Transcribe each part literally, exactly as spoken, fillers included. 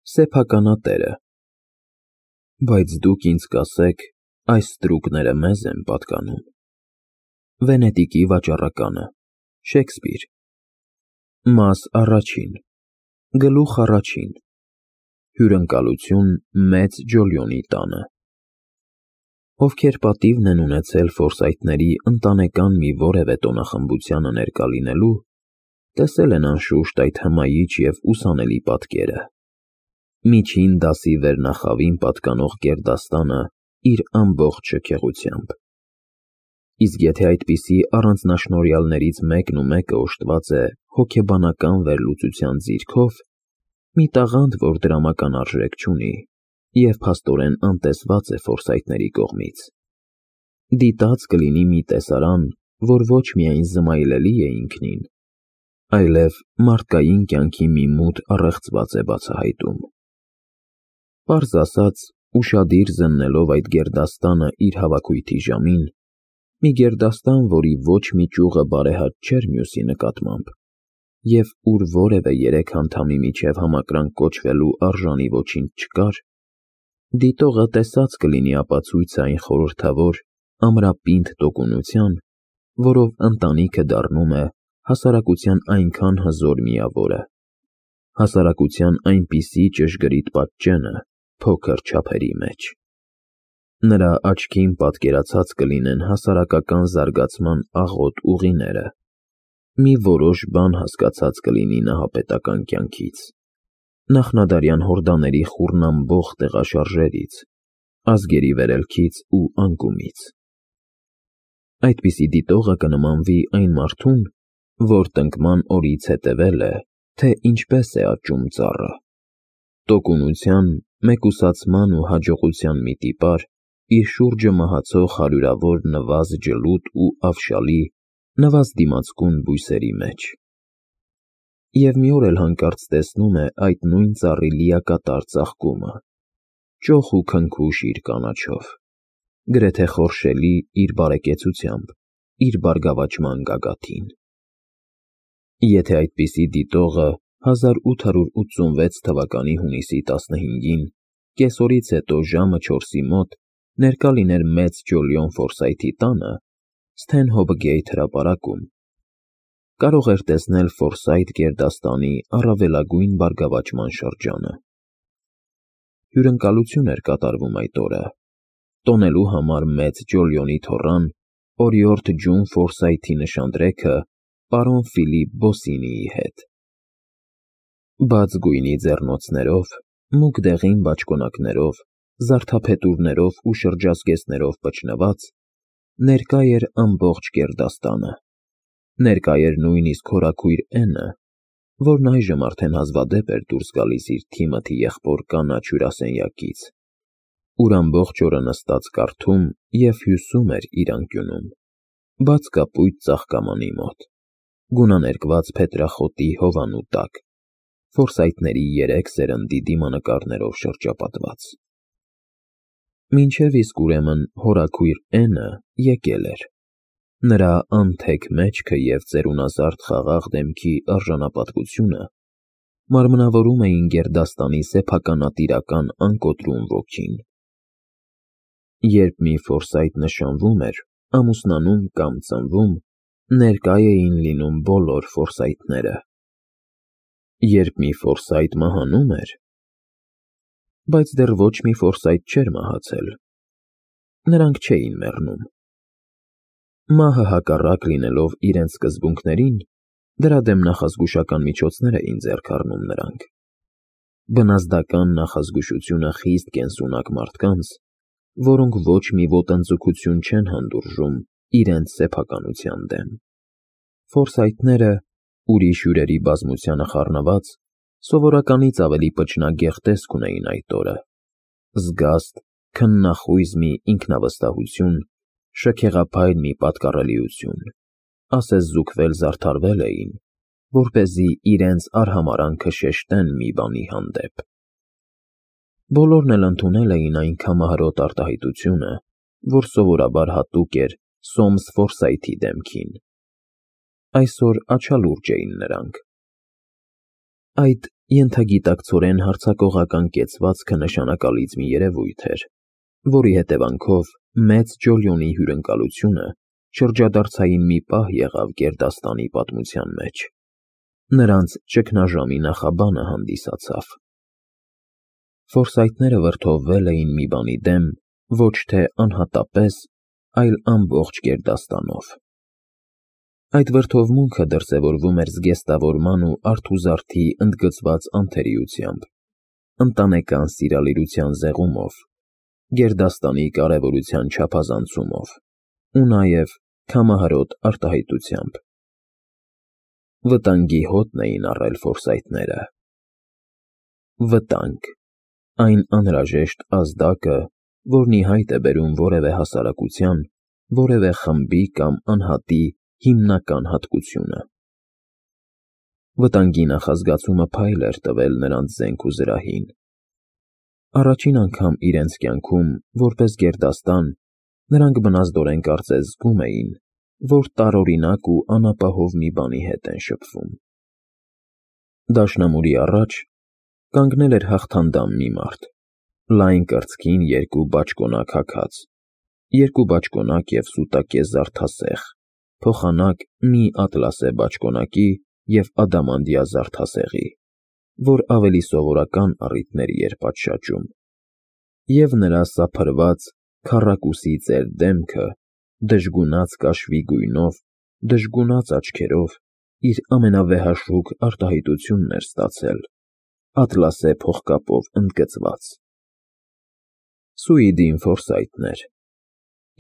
Սեփականատերը։ Բայց դուք ինձ կասեք, այս ստրուկները մեզ են պատկանում։ Վենետիկի վաճառականը, Շեքսպիր։ Մաս առաջին, գլուխ առաջին, հյուրընկալություն մեծ Ջոլիոնի տանը։ Ովքեր պատիվն են ունեցել Ֆորսայթների ընտանեկան մի որևէ տոնախմբությանը ներկա լինելու, տեսել են անշուշտ այդ հմայիչ և ուսանելի պատկերը։ Միջին դասի վերնախավին պատկանող գերդաստանը իր ամբողջ շքեղությամբ։ Իսկ եթե այդպիսի առանձնաշնորհյալներից մեկն ու մեկը օժտված է հոգեբանական վերլուծության ձիրքով, մի տաղանդ, որ դրամական արժեք չունի և փաստորեն անտեսված է Ֆորսայթների կողմից, դիտած կլինի մի տեսարան, որ ոչ միայն զմայլելի է ինքնին, այլև մարդկային կյանքի մի մութ առեղծված է բացահայտում։ Պարզ ասած, ուշադիր զննելով այդ գերդաստանը իր հավաքույթի ժամին, մի գերդաստան, որի ոչ մի ճյուղը բարեհաճ չէր մյուսի նկատմամբ, և ուր որևէ երեք անդամի միջև համակրանք կոչվելու արժանի ոչինչ չկար, դիտողը տեսած կլինի ապացույցը այն խորհրդավոր, ամրապինդ տոկունության, որով ընտանիքը դառնում է հասարակության այնքան հզոր միավորը, հասարակության այնպիսի ճշգրիտ պատճենը փոքր չափերի մեջ։ Նրա աչքին պատկերացած կլինեն հասարակական զարգացման աղոտ ուղիները, մի որոշ բան հասկացած կլինի նահապետական կյանքից, նախնադարյան հորդաների խոռնամբող տեղաշարժերից, ազգերի վերելքից ու անկումից։ Այդպիսի դիտողը կնմանվի այն մարդուն, որ տնկման օրից հետևել է, թե ինչպես է աճում ծառը։ Տոկունության, մեկուսացման ու հաջողության մի տիպար, իր շուրջը մահացող հարյուրավոր նվազ ջլուդ ու ավշալի, նվազ դիմացկուն բույսերի մեջ։ Եվ մի օր էլ հանկարծ տեսնում է այդ նույն ծառի լիակատար ծաղկումը, ճոխ ու քնքուշ իր կանաչով, գրեթե խորշելի իր բարեկեցությամբ, իր բարգավաճման գագաթին։ Եթե այդպիսի դիտողը հազար ութ հարյուր ութսունվեց թվականի հունիսի տասնհինգին, կեսօրից հետո ժամը չորսի մոտ ներկա լիներ մեծ Ջոլիոն Ֆորսայթի տանը, Սթենհոփ-Գեյթ հրապարակում, կարող էր տեսնել Ֆորսայթ գերդաստանի առավելագույն բարգավաճման շրջանը։ Հյուրընկալություն էր կատարվում այդ օրը, տոնելու համար մեծ Ջոլիոնի թոռան, օրիորդ Ջուն Ֆորսայթի նշանдрեքը պարոն Ֆիլիպ Բոսինիի հետ։ Բաց գույնի ձեռնոցներով, մուգ դեղին բաճկոնակներով, զարդափետուրներով ու շրջազգեստներով պչնված, ներկա էր ամբողջ գերդաստանը, ներկա էր նույնիսկ հորաքույր Էնը, որն այժմ արդեն հազվադեպ էր դուրս գալիս իր Թիմոթի եղբոր կանաչ հյուրասենյակից, ուր ամբողջ օրը նստած կարդում և հյուսում էր իր անկյունում, բաց կապույտ ծաղկամանի մոտ, գունաներկված փետրախոտի հովանու տակ, Ֆորսայթների երեք սերնդի դիմանկարներով շրջապատված։ Մինչև իսկ ուրեմն հորաքույր Էնը եկել էր։ Նրա անթեք մեջքը և ծերունազարդ խաղաղ դեմքի արժանապատվությունը մարմնավորում էին գերդաստանի սեփականատիրական անկոտրում ոգին։ Երբ մի Ֆորսայթ նշանվում էր, ամուսնանում կամ ծնվում, ներկա էին լինում բոլոր Ֆորսայթները։ Երբ մի Ֆորսայթ մահանում էր… Բայց դեռ ոչ մի Ֆորսայթ չէր մահացել։ Նրանք չէին մեռնում։ Մահը հակառակ լինելով իրենց սկզբունքներին, դրա դեմ նախազգուշական միջոցներ էին ձեռք առնում նրանք։ Բնազդական նախազգուշությունը խիստ կենսունակ մարդկանց, որոնք ոչ մի ոտնձգություն չեն հանդուրժում իրենց սեփականության դեմ։ Ֆորսայթները, ուրիշ հյուրերի բազմությանը խառնված, սովորականից ավելի պճնագեղ տեսք ունեին այդ օրը, զգաստ, քննախույզ մի ինքնավստահություն, շքեղափայլ մի պատկառելիություն, ասես զուգվել֊զարդարվել էին, որպեսզի իրենց արհամարհանքը շեշտեն մի բանի հանդեպ։ Բոլորն էլ ընդունել էին այն քամահարոտ արտահայտությունը, որ սովորաբար հատուկ էր Սոմս Ֆորսայթի դեմքին։ Այսօր աչալուրջ էին նրանք։ Այդ ենթագիտակցորեն հարձակողական կեցվածքը նշանակալից մի երևույթ էր, որի հետևանքով մեծ Ջոլիոնի հյուրընկալությունը շրջադարձային մի պահ եղավ գերդաստանի պատմության մեջ։ Նրանց ճգնաժամի նախաբանը հանդիսացավ։ Ֆորսայթները վրդովվել էին մի բանի դեմ ոչ թե անհատապես, այլ ամբողջ գերդաստանով։ Այդ վրդովմունքը դրսևորվում էր զգեստավորման ու արթուզարդի ընդգծված անթերիությամբ, ընտանեկան սիրալիրության զեղումով, գերդաստանի կարևորության չափազանցումով ու նաև քամահարոտ արտահայտությամբ։ Վտանգի հոտն էին առել ֆորսայթները։ Վտանգ, այն անհրաժեշտ ազդակը, որն ի հայտ է բերում որևէ հասարակության, որևէ խմբի կամ անհատի հիմնական հատկությունը։ Վտանգի նախազգացումը փայլ էր տվել նրանց զենք ու զրահին։ Առաջին անգամ իրենց կյանքում, որպես գերդաստան, նրանք բնազդորեն կարծես զգում էին, որ տարօրինակ ու անապահով մի բանի հետ են շփվում։ Դաշնամուրի առաջ կանգնել էր հաղթանդամ մի մարդ, լայն կրծքին երկու բաճկոնակ հագած, երկու բաճկոնակ և սուտակե զարդասեղ, փոխանակ մի ատլասե բաճկոնակի և ադամանդյա զարդասեղի, որ ավելի սովորական առիթների էր պատշաճում, և նրա սափրված, քառակուսի ծեր դեմքը, դժգունած կաշվի գույնով, դժգունած աչքերով, իր ամենավեհաշուկ արտահայտությունն էր ստացել, ատլասե փողկապով ընդգծված։ Սուիդին Ֆորսայթն էր,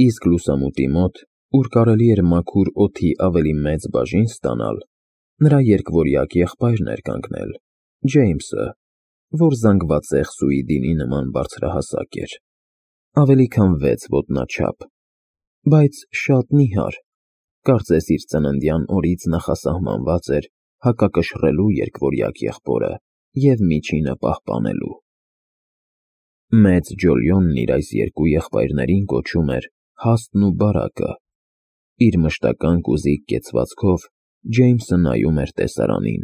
իսկ լուսամուտի մոտ, ուր կարելի էր մաքուր օդի ավելի մեծ բաժին ստանալ, նրա երկվորյակ եղբայրն էր կանգնել, Ջեյմսը, որ զանգվածեղ Սուիդինի նման բարձրահասակ էր, ավելի քան վեց ոտնաչափ, բայց շատ նիհար, կարծես իր ծննդյան օրից նախասահմանված էր հակակշռելու երկվորյակ եղբորը և միջինը պահպանելու։ Մեծ Ջոլիոնն իր այս երկու եղբայրներին կոչում էր Հաստն ու Բարակը։ Իր մշտական կուզիկ կեցվածքով Ջեյմսը նայում էր տեսարանին։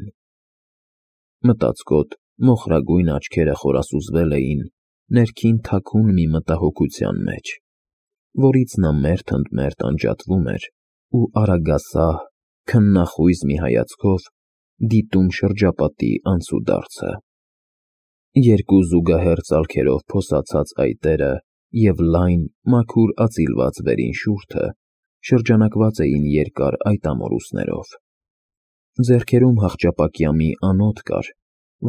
Մտածկոտ, մոխրագույն աչքերը խորասուզվել էին ներքին թաքուն մի մտահոգության մեջ, որից նա մերթ ընդ մերթ անջատվում էր ու արագասահ, քննախույզ մի հայացքով դիտում շրջապատի անցուդարձը։ Երկու զուգահեռ ծալքերով փոսացած այտերը և լայն, մաքուր ածիլված վերին շուրթը շրջանակված էին երկար այտամորուսներով։ Ձեռքերում հախճապակյա մի անոթ կար,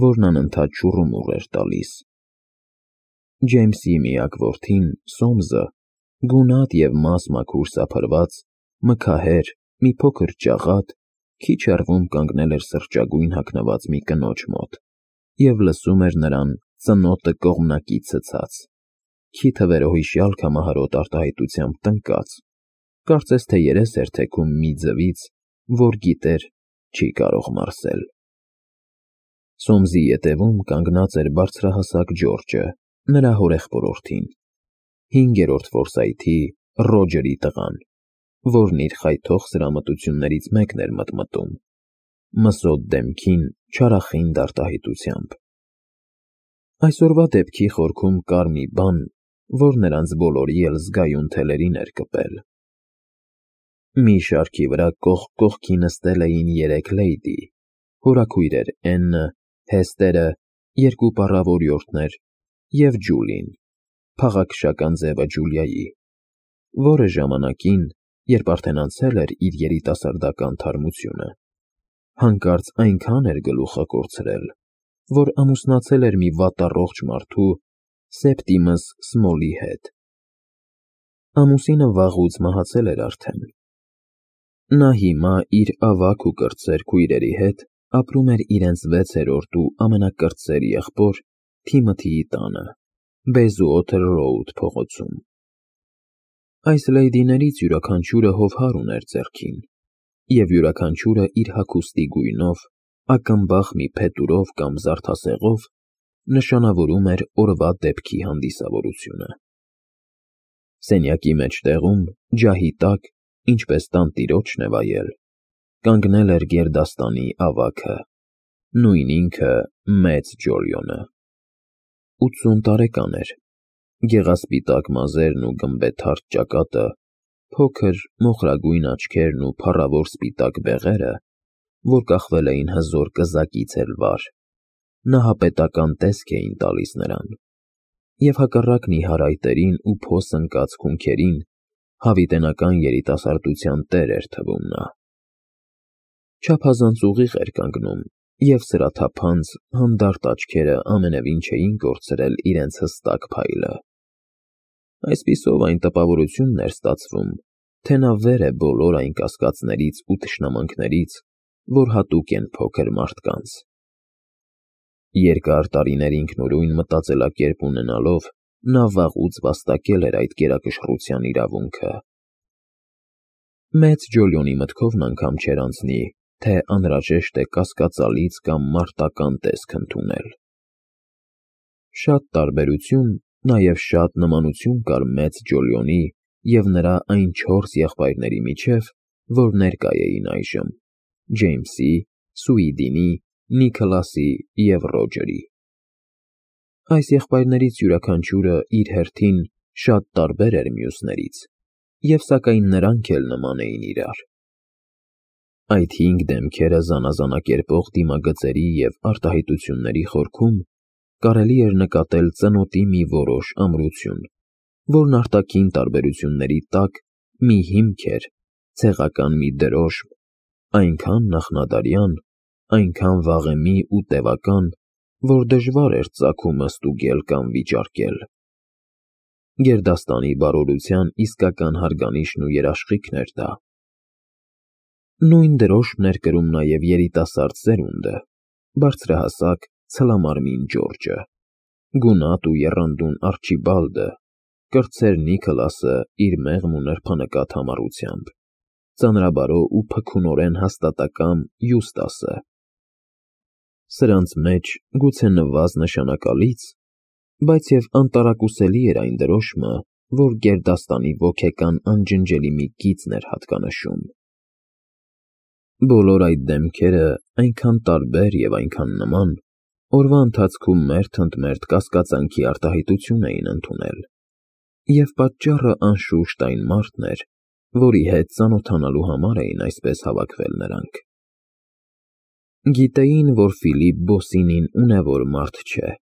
որն անընդհատ շուռումուռ էր տալիս։ Ջեյմսի միակ որդին՝ Սոմսը, գունատ և մաս-մաքուր սափրված, մքահեր, մի փոքր ճաղատ, քիչ հեռվում կանգնել էր սրճագույն հագնված մի կնոջ մոտ և լսում էր նրան ծնոտը կողմնակի ցցած, քիթը վերոհիշյալ քամահարոտ արտահայտությամբ տնկած, կարծես թե երես էր թեքում մի ձվից, որ գիտեր, չի կարող մարսել։ Սոմսի ետևում կանգնած էր բարձրահասակ Ջորջը, նրա հորեղբորորդին, հինգերորդ Ֆորսայթի Ռոջերի տղան, որն իր խայթող սրամտություններից մեկն էր մտմտում, մսոտ դեմքին չարախինդ արտահայտությամբ։ Այսօրվա դեպքի խորքում կար մի բան, որ նրանց բոլորի էլ զգայուն թելերին էր կպել։ Մի շարքի վրա կողք կողքի նստել էին երեք լեյդի, հորաքույրեր Էննը, Հեսթերը, երկու պառավորյորդներ և Ջուլին, փաղաքշական ձևը Ջուլիայի, որը ժամանակին, երբ արդեն անցել էր իր երիտասարդական թարմությունը, հանկարծ այնքան էր գլուխը կորցրել, որ ամուսնացել էր մի վատառողջ մարդու՝ Սեպտիմս Սմոլի հետ։ Ամուսինը վաղուց մահացել էր արդեն։ Նա հիմա իր ավագ ու կրտսեր քույրերի հետ ապրում էր իրենց վեցերորդ ու ամենակրտսեր եղբոր Թիմոթիի տանը, Բեյզուոթեր Ռոուդ փողոցում։ Այս լեյդիներից յուրաքանչյուրը հովհար ուներ ձեռքին, և յուրաքանչյուրը իր հագուստի գույնով, ակնբախ մի փետուրով կամ զարդասեղով նշանավորում էր օրվա դեպքի հանդիսավորությունը։ Սենյակի մեջտեղում, ջահի տակ, ինչպես տանտիրոջն է վայել, կանգնել էր գերդաստանի ավագը, նույն ինքը մեծ Ջոլիոնը։ ութսուն տարեկան էր, գեղասպիտակ մազերն ու գմբեթարթ ճակատը, փոքր մոխրագույն աչքերն ու փառավոր սպիտակ բեղերը, որ կախվել էին հզոր կզակից էլ վար, նահապետական տեսք էին տալիս նրան, և հակառակ նիհարայտերին ու փոս ընկած քունքերին հավիտենական երիտասարդության տեր էր թվում նա։ Չափազանց ուղիղ էր կանգնում, և սրաթափանց, հանդարտ աչքերը ամենևին չէին կորցրել իրենց հստակ փայլը։ Այսպիսով այն տպավորությունն էր ստացվում, թե նա վեր է բոլոր այն կասկածներից ու թշնամանքներից, որ հատուկ են փոքր մարդկանց։ Երկար տարիներ ինքնուրույն մտածելակերպ ունենալով, նա վաղուց վաստակել էր այդ գերակշռության իրավունքը։ Մեծ Ջոլիոնի մտքովն անգամ չէր անցնի, թե անհրաժեշտ է կասկածալից կամ մարտական տեսք ընդունել։ Շատ տարբերություն, նաև շատ նմանություն կար մեծ Ջոլիոնի և նրա այն չորս եղբայրների միջև, որ ներկա էին այժմ՝ Ջեյմսի, Սուիդինի, Նիքլասի և Ռոջերի։ Այս եղբայրներից յուրաքանչյուրը իր հերթին շատ տարբեր էր մյուսներից, և սակայն նրանք էլ նման էին իրար։ Այդ հինգ դեմքերը զանազանակերպող դիմագծերի և արտահայտությունների խորքում կարելի էր նկատել ծնոտի մի որոշ ամրություն, որն արտաքին տարբերությունների տակ մի հիմք էր, ցեղական մի դրոշմ, այնքան նախնադարյան, այնքան վաղեմի ու տևական, որ դժվար էր ծագումն ստուգել կամ վիճարկել։ Գերդաստանի բարօրության իսկական հարգանիշն ու երաշխիքն էր դա։ Նույն դրոշմն էր կրում նաև երիտասարդ սերունդը՝ բարձրահասակ, ցլամարմին Ջորջը, գունատ ու եռանդուն Արչիբալդը, կրտսեր Նիքլասը իր մեղմ ու նրբանկատ համառությամբ, ծանրաբարո ու փքունորեն հաստատակամ Յուստասը։ Սրանց մեջ գուցե նվազ նշանակալից, բայց և անտարակուսելի էր այն դրոշմը, որ գերդաստանի ոգեկան անջնջելի մի գիծն էր հատկանշում։ Բոլոր այդ դեմքերը այնքան տարբեր և այնքան նման, օրվա ընթացքում մերթ ընդ մերթ կասկածանքի արտահայտություն էին ընդունել, և պատճառը անշուշտ այն մարդն էր, որի հետ ծանոթանալու համար էին այսպես հավաքվել նրանք։ Գիտեին, որ Ֆիլիպ Բոսինին ունևոր մարդ չէ,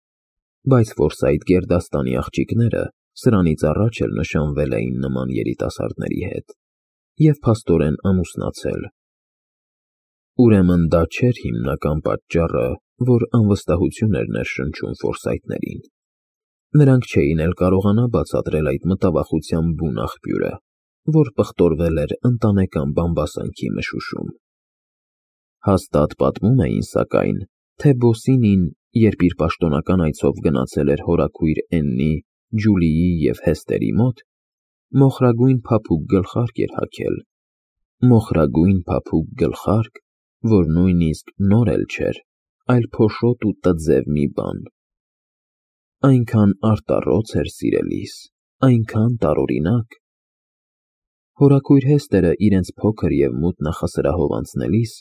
բայց ֆորսայթ գերդաստանի աղջիկները սրանից առաջ էլ նշանվել էին նման երիտասարդների հետ և փաստորեն ամուսնացել։ Ուրեմն դա չէր հիմնական պատճառը, որ անվստահություն էր ներշնչում ֆորսայթներին։ Նրանք չէին էլ կարողանա բացատրել այդ մտավախության բուն աղբյուրը, որ պղտորվել էր ընտանեկան բամբասանքի մշուշում։ Հաստատ պատմում էին, սակայն, թե Բոսինին, երբ իր պաշտոնական այցով գնացել էր հորաքույր Էննի, Ջուլիի և Հեստերի մոտ, մոխրագույն փափուկ գլխարկ էր հագել, մոխրագույն փափուկ գլխարկ, որ նույնիսկ նոր էլ չէր, այլ փոշոտ ու տձև մի բան։ Այնքան արտառոց էր սիրելիս, այնքան տարօրինակ։ Հորաքույր Հեստերը իրենց փոքր և մութ նախասրահով անցնելիս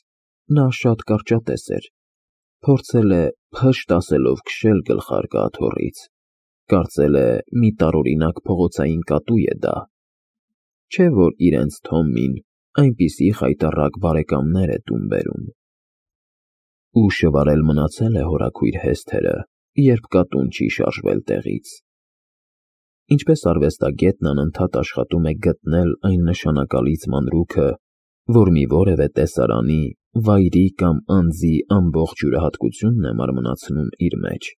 նա շատ կարճատես էր, փորձել է փշտ ասելով քշել գլխարկը աթոռից, կարծել է մի տարօրինակ փողոցային կատու է դա, չէ՞ որ իրենց Թոմին այնպիսի խայտառակ բարեկամներ է տուն բերում։ Ու շվարել մնացել է հորաքույր Հեսթերը, երբ կատուն չի շարժվել տեղից։ Ինչպես արվեստագետն անընդհատ աշխատում է գտնել այն նշանակալից մանրուքը, որ մի որևէ տեսարանի, վայրի կամ անձի ամբողջ յուրահատկությունն է մարմնացնում իր մեջ,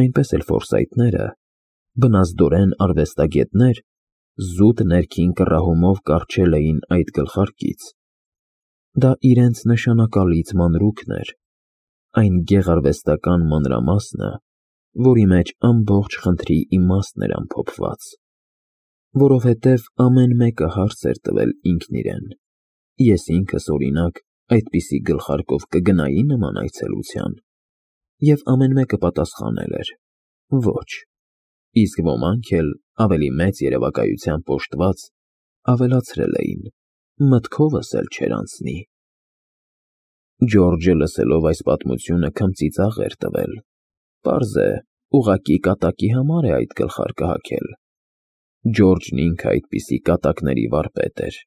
այնպես էլ ֆորսայթները, բնազդորեն արվեստագետներ, զուտ ներքին կռահումով կառչել էին այդ գլխարկից։ Դա իրենց նշանակալից մանրուքն էր, այն գեղարվեստական մանրամասնը, որի մեջ ամբողջ խնդրի իմաստն էր ամփոփված, որովհետև ամեն մեկը հարց էր տվել ինքն իրեն. ես ինքս, օրինակ, այդպիսի գլխարկով կգնայի՞ նման այցելության, և ամեն մեկը պատասխանել էր. ոչ, իսկ ոմանք էլ, ավելի մեծ երևակայությամբ Ջորջը լսելով այս պատմությունը քմծի ծաղր տվել, պարզ է, ուղղակի կատակի համար է այդ գլխարկը հագել, Ջորջն ինքը այդպիսի կատակների վարպետ էր։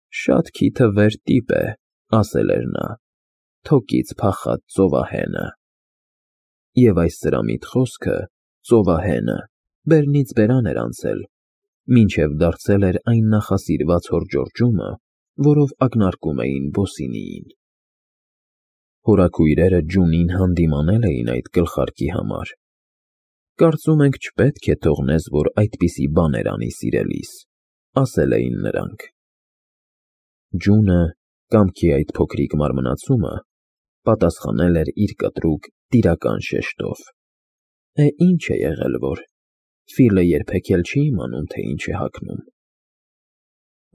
Շատ քիթվեր տիպ է, ասել էր նա, թոկից փախած ծովահենը։ Եվ այս սրամիտ խոսքը, ծովահենը, բերնից բերան էր անցել, մինչև դարձել էր այն նախասիրված հոր Ջորջումը, որով ակնարկում էին Բոսինիին։ Հորաքույրերը ջունին հանդիմանել էին այդ գլխարկի համար։ Կարծում ենք չպետք է թողնես, որ այդպիսի բաներ անի սիրելիս, ասել էին նրանք։ Ջունը, կամքի այդ փոքրիկ մարմնացումը, պատասխանել էր իր կտրուկ տիրական շեշտով. Է, ինչ է եղել որ, Ֆիլը երբեք էլ չի իմանում, թե ինչ է հագնում։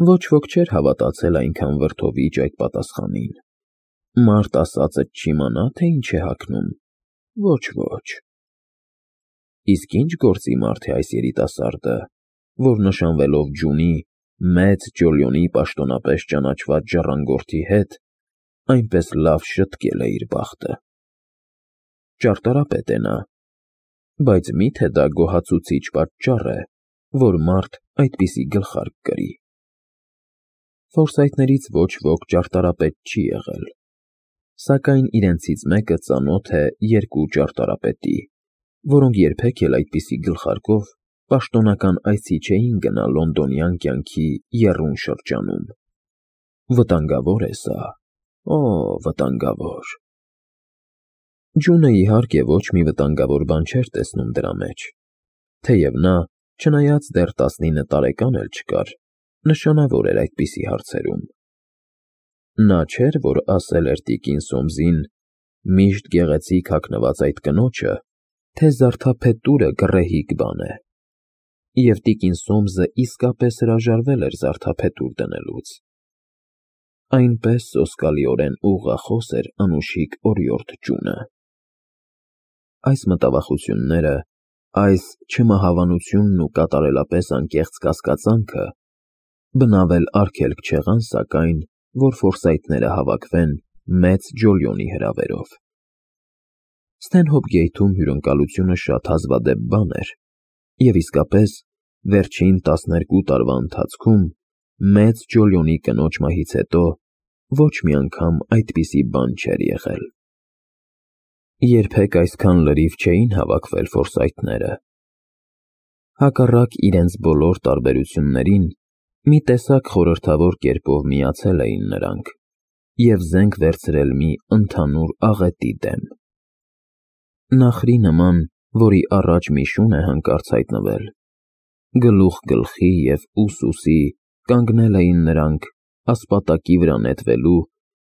Ոչ ոք չէր հավատացել այնքան վրդովիճ այդ պատասխանին։ Մարդ ասածդ չիմանա, թե ինչ է հագնում, ոչ, ոչ։ Իսկ ինչ գործի մարդ է այս երիտասարդը, որ նշանվելով ջունի, մեծ Ջոլիոնի պաշտոնապես ճանաչված ժառանգորդի հետ, այնպես լավ շտկել է իր բախտը։ Ճարտարապետ է նա, բայց մի՞թե դա գոհացուցիչ պատճառ է, որ մարդ այդպիսի գլխարկ կրի։ Ֆորսայթներից ոչ ոք ճարտարապետ չի եղել, սակայն իրենցից մեկը ծանոթ է երկու ճարտարապետի, որոնք երբեք էլ այդպիսի գլխարկով պաշտոնական այցի չէին գնա լոնդոնյան կյանքի եռուն շրջանում։ Վտանգավոր է սա, օ, վտանգավոր։ Ջունը իհարկե ոչ մի վտանգավոր բան չէր տեսնում դրա մեջ, թեև նա, չնայած դեռ տասնինը տարեկան էլ չկար, նշանավոր էր այդպիսի հարցերում։ Նա չէր, որ ասել էր տիկին Սոմսին, միշտ գեղեցիկ հագնված այդ կնոջը, թե զարդափետուրը գռեհիկ բան է, և տիկին Սոմսը իսկապես հրաժարվել էր զարդափետուր դնելուց։ Այնպես սոսկալիորեն ուղղախոս էր անուշիկ օրիորդ Ջունը։ Այս մտավախությունները, այս չմահավանությունն ու կատարելապես անկեղծ կասկածանքը բնավել արգելք չեղան, սակայն, որ ֆորսայթները հավաքվեն մեծ Ջոլիոնի հրավերով։ Սթենհոփ-Գեյթում հյուրընկալությունը շատ հազվադեպ բան էր, և իսկապես, վերջին տասներկու տարվա ընթացքում մեծ Ջոլիոնի կնոջ մահից հետո ոչ մի անգամ այդպիսի բան չէր եղել։ Երբեք այսքան լրիվ չէին հավաքվել ֆորսայթները։ Հակառակ իրենց բոլոր տարբերություններին, մի տեսակ խորհրդավոր կերպով միացել էին նրանք և զենք վերցրել մի ընդհանուր աղետի դեմ։ Նախրի նման, որի առաջ մի շուն է հանկարծ հայտնվել, գլուխ գլխի և ուս ուսի կանգնել էին նրանք ասպատակի վրա նետվելու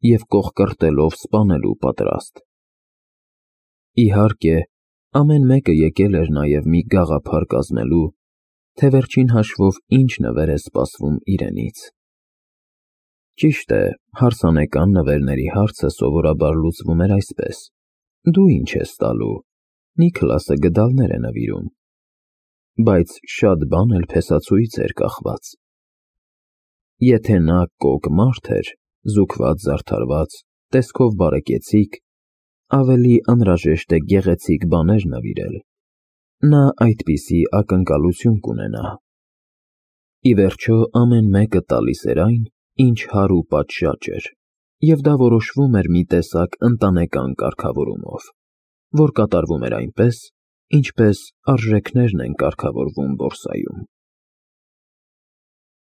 և կոխկրտելով սպանելու պատրաստ։ Իհարկե, ամեն մեկը եկել էր նաև մի գաղափար կազմելու, թե վերջին հաշվով ինչ նվեր է սպասվում իրենից։ Ճիշտ է, հարսանեկան նվերների հարցը սովորաբար լուծվում էր այսպես. դու ինչ ես տալու, Նիքլասը գդալներ է նվիրում, բայց շատ բան էլ փեսացուից էր կախված։ Եթե նա կոկ մարդ էր, զուգված զարդարված, տեսքով բարեկեցիկ, ավելի անհրաժեշտ է գեղեցիկ բաներ նվիրել, նա այդպիսի ակնկալություն կունենա։ Ի վերջո ամեն մեկը տալիս էր այն, ինչ հարու պատշաճ էր, և դա որոշվում էր մի տեսակ ընտանեկան կարգավորումով, որ կատարվում էր այնպես, ինչպես արժեքներն են կարգավորվում բորսայում։